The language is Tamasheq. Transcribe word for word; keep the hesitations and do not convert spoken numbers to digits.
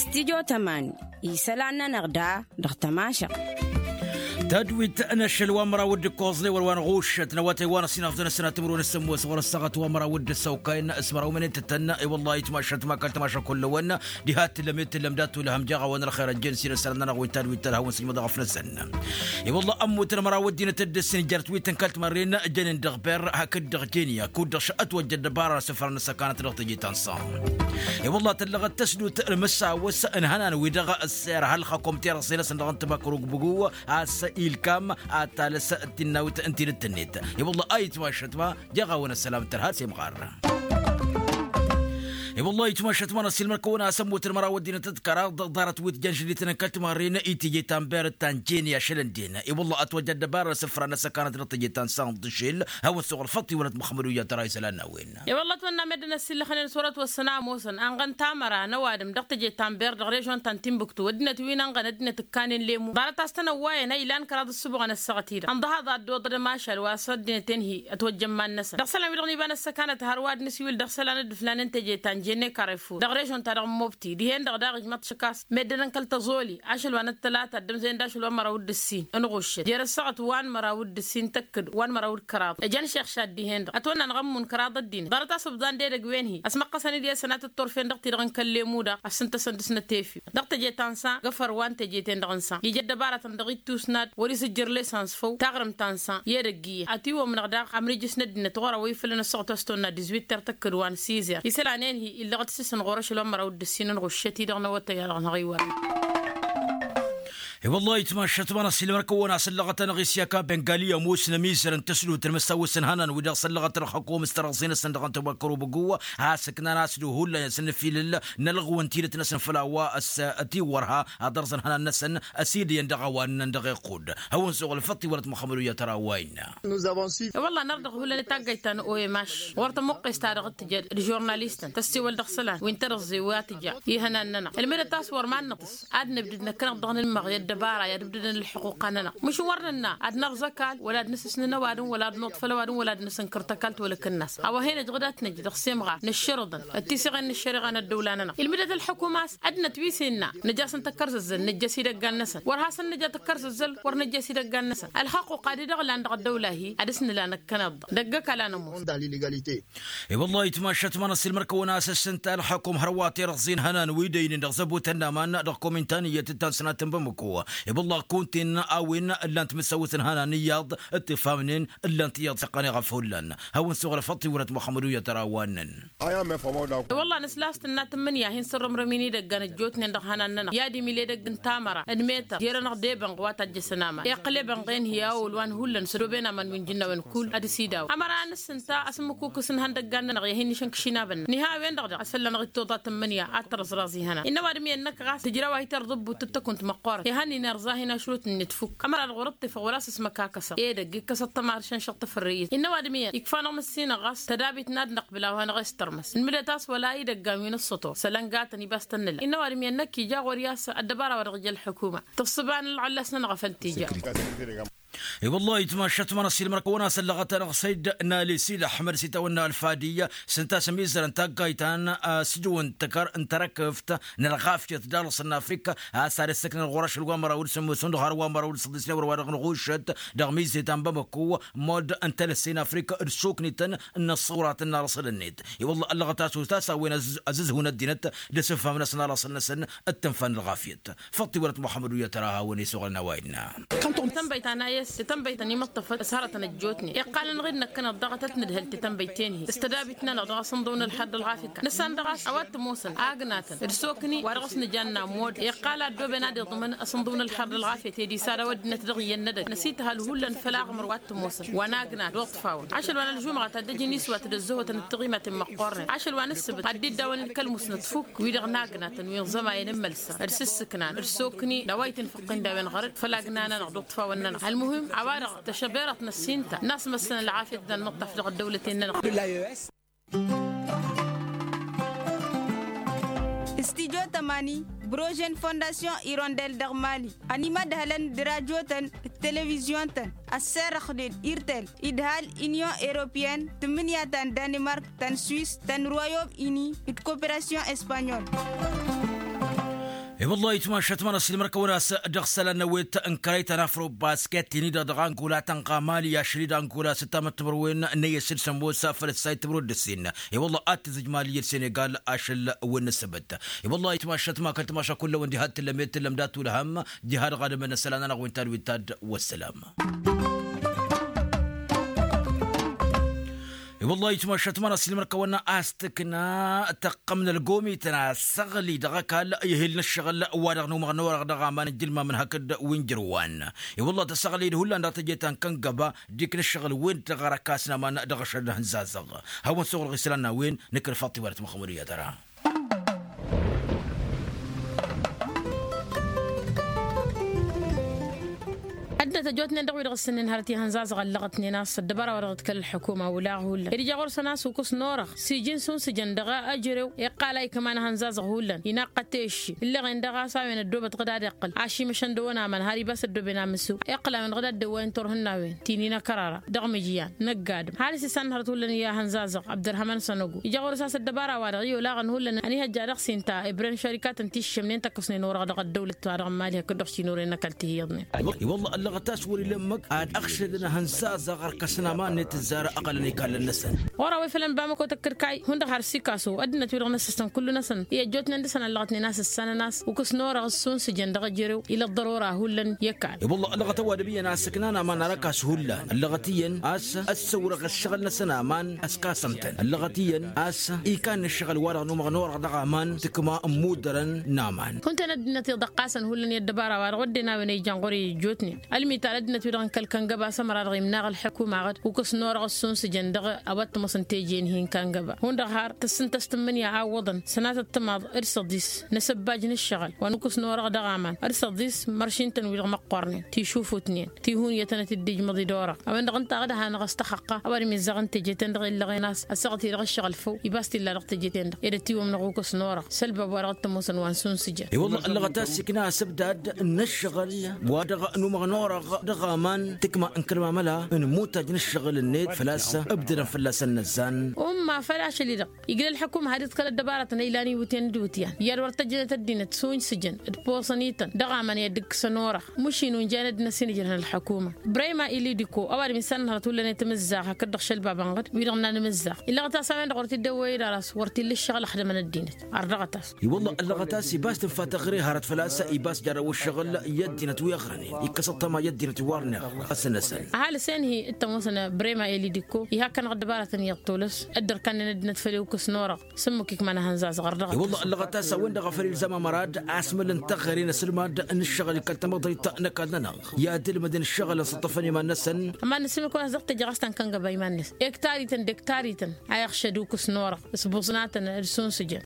Stidyo tămani isălan-nănăɣ da dăɣ-tămašăɣt. Tadwit n-ašăl wa n-măraw d-ǝkkoẓ n-ewăr wa n-ɣuššăt n-awătay wa n-ăsinafḍăn ăssinat timǝrwen s-sămmos ɣur-ăssaɣăt wa n-măraw d-ăssăwkay n-asmăraw mănetătăn. I-wălla-hi tmašăt ma kăl-tamaša kullăwăn diha t-tǝllăm i-t-tǝllăm d-ad-tulăhăm jaɣawăn ălxer ăjjăn s-inăsălăn-nănăɣ wi n-tadwit tălhawăn s-ijmăḍ ɣăf-năsăn. I-wălla-hi ămmutăn măraw ăddinăt d-ǝssin jarăt wi tǝnkăl timarren jănen dăɣ-berr hakd-dăɣ jenya kud-dăɣ š-ătwăjja ăddăbara n-asǝfra n-ăssăkanăt dăɣ-teje ta n-sănḍ. I-wălla-hi tăllăɣăt tăsdut ălmăsawăs n-ihănan-wi-dăɣ ăssirăhăl ălxăkom terăẓẓe-năsăn dăɣ-ǝntǝbakăr ugbǝgǝw a-s ilkam ad-talăs d-tinnawt n-tidǝt-net. I-wălla-hi a itmašăt ma jeɣ-awăn ăssălam d-tărha d-semɣar. I-wălla-hi itmašăt ma n-ăssiilmăr-kăwăn a-s ămmutăn măraw ăddinăt d-kăraḍ ḍarăt wi t-jăn žădităn n-kăl-timarren i-teje ta n-berăt ta n-jeni ašăl ǝnden. I-wălla-hi ătwăjja ăddăbara n-asǝfra n-ăssăkanăt dăɣ-teje ta n-sănḍ d-ašel hawăn-suɣǝl făṭṭ iwălăt măxmăd uyya tăra isălan n-a-wen. I-wălla-hi ătwănna meddǝn ăssiillăxnen s-wăr-ătwăssăn a ămoosăn anɣăn tamăra n-ăwadǝm dăɣ-teje ta n-ber dăɣ-režon ta n-timbuktu ăddinăt wi n-anɣăn ăddinăt ǝkkanen lemu ḍarăt a-s tănăwwayăn a ilan kăraḍ ǝssǝbuɣăn ăssaɣăt-i-dăɣ ănḍăhaḍ ad-dd-oḍădăm ašal wa s-ăddinăt-en-hi ătwăjja ămman-năsăn dăɣ-isălan-wi-dăɣ n-iba n-ăssăkanăt hărwa ad-nǝsiwǝl dăɣ-isălan d-ǝflanen teje ta n-jenne karefur dăɣ-režon ta dăɣ-mobti dihen-dăɣ daɣ ijmăḍ šăkas meddǝn n-kăl-tăẓoli ašăl wa n-ăttălata ăddămzăyăn d-ašăl wa n-măraw d-ǝssin ǝnɣuššăt jer-ăssaɣăt wa n-măraw d-ǝssin tăkkăd wa n-măraw d-kăraḍ ǝjăn šeɣšad dihen-dăɣ ătwănna n-ɣămmun kăraḍ ăddinăt ḍarăt a-s ǝbḍan d-edăgg wen-hi ăsmăqqăsăn-dd i-ad-sănatăt turfen dăɣ-ti-dăɣ n-kăl-lemu-dăɣ ăssǝntăsăn dăɣ-snăt efif dăɣ-teje ta n-sa găfăr wa n-teje-ten-dăɣ n-sa ija ăddăbaratăn dăɣ-ittus n-ad-wăr-izǝjjăr lesan s-făw taɣrǝmt ta n-sa i-edăgg iyyăn ătiwămnăɣ daɣ ămrijǝs n-ăddinăt ɣur-awăy făll-năssuɣăt a-s tăwănna dizwitter tăkkăd wa n-sizăr isălan-en-hi illăɣ-dd sǝsǝn ɣur-ašăl wa n-măraw d-ǝssin ănɣuššăt-i-dăɣ n-awătay-a-dăɣ n-aɣiwăr. I-wăllah itmašăt ma n-ăssiilmăr-kăwăn a-s ăllăɣăt-anăɣ isyak a bengali ămoos n-ămizăr n-tăsdut n-imǝssawăs n-ihănan-wi-dăɣ s-ăllăɣăt ălxăkom s-tărăẓẓe-năsăn dăɣ-ăntăwăkkăr obăggu a-s ǝknan a-s d-uhullan i-ad-săn nǝfilǝl n-ălɣǝw n-tidǝt-năsăn făll-a-wa s-ătiwărha ad-ărẓăn ihănan-năsăn ăsidăyăn dăɣ-a-wa ǝnnăn dăɣ-iqqud. Hawăn-suɣǝl făṭṭ iwălăt măxămăd uyya tărawayna. I-wăllah nărdăɣ hullan i-taggayt ta n-oemaš wăr tămuqqes ta dăɣ-t tǝjăd d-žurnalistăn tăssewăl dăɣ-isălan wi n-tărǝẓẓe wa tǝja ihănan-nănăɣ ǝlmǝdăt a-s wăr mannăɣ-tăs ad-nǝbdǝd năkkăneḍ-dăɣ nǝnmăɣ i-ăddăbara i-ad-ǝbdǝdăn ălḥuqq-anănăɣ măšan wăr nǝnna ad-nărẓ ăkall wăla ad-năsǝsnǝn ăwadǝm wăla ad-nuḍfăl ăwadǝm wăla ad-năsǝnkăr tăkallt wăla ăkănnas a-wa hen-ăjăɣ dat-năj dăɣ-semɣar nǝššărǝḍăn d-tiseɣen n-ăššăreɣa n-ăddăwla-nănăɣ ilmǝdăt ălḥukum a-s ad-nătwisǝnna năj'-asăn tăkkărzăzzăl năjjăs idăggan-năsăn wăr hasăn-năj ad-tăkkărzăzzăl wăr năjjăs idăggan-năsăn ălxăqquq ad-idăɣlan dăɣ-ăddăwla-hi ad-dăɣ-s nǝla năkkăneḍ-dăɣ dăgg-ăkall a nămoos. I-wăllah itmašăt ma n-ăssiilmăr-kăwăn a-s ǝssǝnta ălxăkum hărwa tirǝẓẓin hănan wi dăynen dăɣ-zăbut ănnaman dăɣ-komintăn iyyăt d-tansnat n-bamăko. I-wăllah kunta-en a-wen ǝllan-t mǝssawăt n-hănan iyyăḍ d-tifamnen ǝllan-t iyyăḍ s-iqqăneɣ ăfullăn hawăn-suɣǝl făṭṭ iwălăt măxămăd uyya tărawannăn. I-wăllah nǝsla a-s tǝnna tǝmmǝnǝya hin-sărrămrăm-in idăggan ăjjootnen dăɣ-ihănan-nănăɣ i-ad-imil edăgg n-tamăra d-metăr jer-anăɣ d-ebănɣ wa tajjăsăn aman iqqăl ebănɣ-en-hi a ăwăl wa n-hullan s-ădoben aman wi n-jǝnnawen kull ad-dăr-s idawăn ămăra a nǝssǝnta asǝmmǝkukǝs n-ihăndăggan-nănăɣ i-ad-hin-nǝšǝnkǝš inabăn-nănăɣ niha a-wen-dăɣ daɣ a-s fălla-năɣ ittoḍa tǝmmǝnǝya ad-tărẓraẓ ihănan innă ăwadǝm iyyăn năkk ɣas tǝjraw a hi-tărḍǝbbut d-tăkunt măqqoorăn ihăn-in irẓa-hin ašrut-net fukk ămăra-dăɣ wăr-ǝṭṭifăɣ wăla s-ăsmăkakăsăɣ edăgg ikkăs ăṭṭămar šănšăɣ tafărrăyet innă ăwadǝm iyyăn ikfa-năɣ măssinăɣ ɣas tădabit n-ad-năqbǝl a-wa năɣ-s tărmăs nǝlmǝdăt a-s wăla idăggan wi n-ǝssăto s-ălăngatăn ibas tănnǝla innă ăwadǝm iyyăn năkk ija ɣur-i a-s ăddăbara wa dăɣ-ija ălḥukuma tǝṣṣǝba n-ălɣăllas-nănăɣ a făl t-ija. I-wăllah itmašăt ma n-ăssiilmăr-kăwăn a-s ăllăɣăt-anăɣ săyd n-ali sid ăḥmăd s-itawănna ălfadiy s-ǝnta a-s ămizărăn taggayt ta n-asǝjǝw n-tăkăr n-tărăkǝft n-ălɣafyăt d-alǝs n-afrika a-s ad-issăknăn ɣur-ašăl wa n-măraw d-sǝmmǝsǝn d-har wa n-măraw d-săḍisnen wăr-wa-dăɣ n-ɣušăt dăɣ-mizet ta n-bamăko mod n-talăsse n-afrika d-soknităn n-ăṣṣurat n-arăsăl-net. I-wălla ăllăɣăt a-s otas a-wen ăzǝzhun ăddinăt d-asǝfham-năsăn arăsăl-năsăn d-tǝnfa n-ălɣafyăt. Făṭṭ iwălăt muxămmăd uyya tăra a hawăn-e-suɣǝlăn a-wa innă. Tănbăyt ta n-ayǝs d-tănbăyt ta n-imǝṭṭăfăt s-hărătăn ăjjootnen iqqalăn-dăɣ-dd năkkăneḍ daɣ ad-tăt-nǝdhăl tetănbăyt-ten-hi s-tădabit-nănăɣ dăɣ-asǝnḍǝw n-ălxer d-ălɣafyăt năssan dăɣ-a-s a-wa t-ămoosăn agnatăn d-sokni wa dăɣ-s nǝjanna ămmod iqqal ad-dd-oben ad-iḍmǝn asǝnḍǝw n-ălxer d-ălɣafyăt ed isad a-wa ăddinăt dăɣ-iyyăn n-edăgg năsităhăl hullan făll-aɣmăr wa t-ămoosăn wa n-agnat d-uṭṭfawăn ašăl wa n-ălžumɣa ta dd-ăjǝn iswat d-ăzzăhotăn d-tiɣimaten măqqoornen ašăl wa n-ǝssǝbǝt ad-dd-iddawăn ǝlkăl musnăt fukk wi-dăɣ n-agnatăn wi n-iẓămayăn n-imălsa d-sǝssǝknan d-sokni d-a-wa itǝnfăqqin d-a-wen ɣărăt făll-agna-nănăɣ d-uṭṭfawăn-nănăɣ ălmuhim a-wa-dăɣ tăšăberăt n-ăssinta n-asmăssăn ălɣafyăt d-anmǝṭṭaf dăɣ-ăddăwlăten-nănăɣ. Studyo tămani, brožen fondasyon irondel dăɣ-mali ănimădhălăn d-rajotăn. televizyon-tăn ăsserrăxnen irtel idhal, inyon europeyăn, tǝmmǝnǝya ta n-danimark, ta n-swis, ta n-royom ini d-koperasyon espanyol. I-wăllah itmašat ma n-asilmăr kăwăn-as dăɣ-isălan n-awet n-kărăy ta n-afro-basket-in-i-dăɣ dăɣ-angola tănɣamali ašăl-i d-angola s-ǝttamăt timǝrwen n-eyyăs d-sămoos făll-ăssay timǝrwen d-ǝssin. I-wăllah ad-tǝzzǝj mali i-dd-senegal ašăl wen n-ǝssǝbǝt. I-wăllah itmašat ma kăl-timaša kull-ăwăn diha d-tǝllăm i-tǝllăm d-atulhăm diha dăɣ-adǝm n-isălan-anăɣ wen tad-wen tad. Wăssălam. I-wăllah itmašat ma n-asilmăr kăwăn-as tǝkna tăqqăm n-ălgomităn asăɣli dăɣ-ăkall ihil n-ǝššăɣǝl wa-dăɣ n-umăɣ n-orăɣ dăɣ-aman n-jilmam n-hakd wi n-jărwan. I-wăllah tăsăɣli d-hullan dăɣ-teje ta n-kăngăba dik n-ǝššăɣǝl-wen-dăɣ ărăkasnămăn dăɣ-ašăl n-hǝnzazăɣ. Hawăn-suɣǝlɣ isălan n-a-wen nǝkrǝfăɣ tiwăret măxmăduyăt ăra. Ăddinăt ăjjootnen dăɣ-wi-dăɣ ǝssǝnnen hărăt i-ihănzazăɣ ăllăɣătnen a-s ăddăbara wa dăɣ-dd-kăl-ălḥukuma olaɣ hullan ed ija ɣur-săn a-s ukǝs n-orăɣ s-iji n-sunsǝjăn dăɣ-ejărew iqqal a ikman ihănzazăɣ hullan inaqqa tešši ǝlleɣen dăɣ-a-s a-wen ăddoobăt ɣǝd ad-iqqǝl ašimăšăn dăɣ-wăn aman har ibas ăddooben amǝsǝw iqqǝl a-wen ɣǝd ad-dăwwayăn turhǝnna-wen ti n-inăkărara dăɣ-mǝjǝyan năgg-adǝm har s-isannăhărăt hullan i-ihănzazăɣ abdărhăman sănăgo ija ɣur-s a-s ăddăbara-wa-dăɣ i-olaɣăn hullan ănihăjja dăɣ-s inta ibrăn šărikatăn ti ǝššămnen tăkkăsnen orăɣ dăɣ-ăddăwlăt-wa-dăɣ n-mali hakd dăɣ-šin orăyăn n-ăkall tihǝyyăḍnen. I-wălla ăllăɣăt a-s wăr-ila ǝmmǝk ad-ăɣšădăn ihănzazăɣ ărkăsăn aman-net ǝzzară ăɣălăn ikallăn-năsăn. Ɣur-a-wa ifălăn bamăko tăkkăd kayy hundăɣ har sikaso ăddinăt-wi-dăɣ n-ăssăsăn kullu-năsăn i-ăjjootnen dăɣ-săn ăllăɣătnen a-s ǝssanăn a-s ukǝs n-orăɣ ǝssunsǝjăn dăɣ-ejărew ila ăḍḍărora hullan i-ăkall. I-wălla ăllăɣăt ăwadǝm iyyăn a-s ǝknan aman arăkas hullan ăllăɣăt iyyăn a-s ăssăwrăɣ ǝššăɣǝl-năsăn aman ăskasăm-tăn ăllăɣăt iyyăn a-s ikan n-ǝššăɣǝl-wa-dăɣ n-umăɣ n-orăɣ dăɣ-aman tǝkma n-imuddărăn n-aman. Hunten ăddinăt iḍăqqasăn hullan i-ăddăbara-wa-dăɣ wădden a-wen a ijan ɣur-i ăjjootnen ălmital ăddinăt-wi-dăɣ n-kăl-kăngăba s-ămăra-dăɣ imnaɣ ălḥukuma ɣǝd ukǝs n-orăɣ ǝssunsǝjăn dăɣ-a-wa t-ămoosăn teje-in-hi n-kăngăba hundăɣ har tăssǝn-t a-s tǝmmǝnǝya a iwwăḍăn sănatăt timaḍ d-săḍis n-asăbbaj n-ǝššăɣǝl wa n-ukǝs n-orăɣ dăɣ-aman d-săḍis măršin-tăn wi-dăɣ măqqoornen tišufutnen tihunyătăn ad-t-dd-ijmăḍ i-dd-orăɣ a-wen-dăɣ ǝnta a dd-hanăɣ-s tăxăqqa a-wa dd-mizzăɣăn teje-ten-dăɣ illăɣen a-s ăssaɣăt-i-dăɣ ǝššăɣǝl făw ibas t-illa dăɣ-teje-ten-dăɣ ed ătiwămnăɣ ukǝs n-orăɣ s-ălbab wa dăɣ-t-ămoosăn wa n-sunsǝjăn. I-wălla ăllăɣăt a-s ikna asǝbdad n-ǝššăɣǝl wa dăɣ-număɣnăwrăɣ dăɣ-aman tǝkma n-kăl-mamăla n-imutaj n-ǝššăɣǝl-net făl-a-s ǝbdădăn fălla-săn inăzzan. Umma făl ašăl-i-dăɣ iglă ălḥăkum had-iḍkăl ăddăbarătăn a ilan iwǝtyan d-iwǝtyan i-ad-wăr tăjjănăt ăddinăt sunsǝjăn d-posăn-ităn dăɣ-aman i-ad-dd-ǝkkǝsăn orăɣ. Măšin unjayăn ăddinăt s-inǝjrăhăn ălḥăkuma brayma ili diko ăwadǝm isannăhărăt hullan i-tamǝzzaɣt hakd-dăɣ šălbabăn ɣǝd wi-dăɣ n-anmǝzzaɣ illăɣăt a-s a-wen-dăɣ wăr t-dd-ăwwăy d-aras wăr t-illa ǝššăɣǝl ăxdămăn ăddinăt. Ar dăɣ-tas. I-wălla ăllăɣăt a-s ibas tǝnfa taɣre hărăt făl-a-s ibas jarrăw ǝššăɣǝl i-ăddinăt wi ăɣrănen ikkăs ăṭṭăma i-ăddinăt wi wărnen ăsnăsăn. Ăhalǝs-en-hi t-ămoosăn brema elidikko iha ăkkănăɣ ăddăbarătăn iyyăḍ tolăs dd-ărkannen ăddinăt făll-i ukǝs n-orăɣ s-ǝmmǝk ikman ahănzazăɣ ar dăɣ-tas. I-wălla ăllăɣăt a-s a-wen-dăɣ a făl ilzam amăra d-asmălăn taɣre n-asǝlmad n-ǝššăɣǝl i-kăl-tamăḍrit n-ăkall-nănăɣ i-ad-ǝlmǝdăn ǝššăɣǝlăn s-ǝṭṭăfăn iman-năsăn. Ămann'-as ǝmmǝk wa n-as-dăɣ-teje ɣas ta n-kăngăba iman-năsăn ektarităn d-ektarităn a iɣšăd ukǝs n-orăɣ s-buẓnatăn d-sunsǝjăn.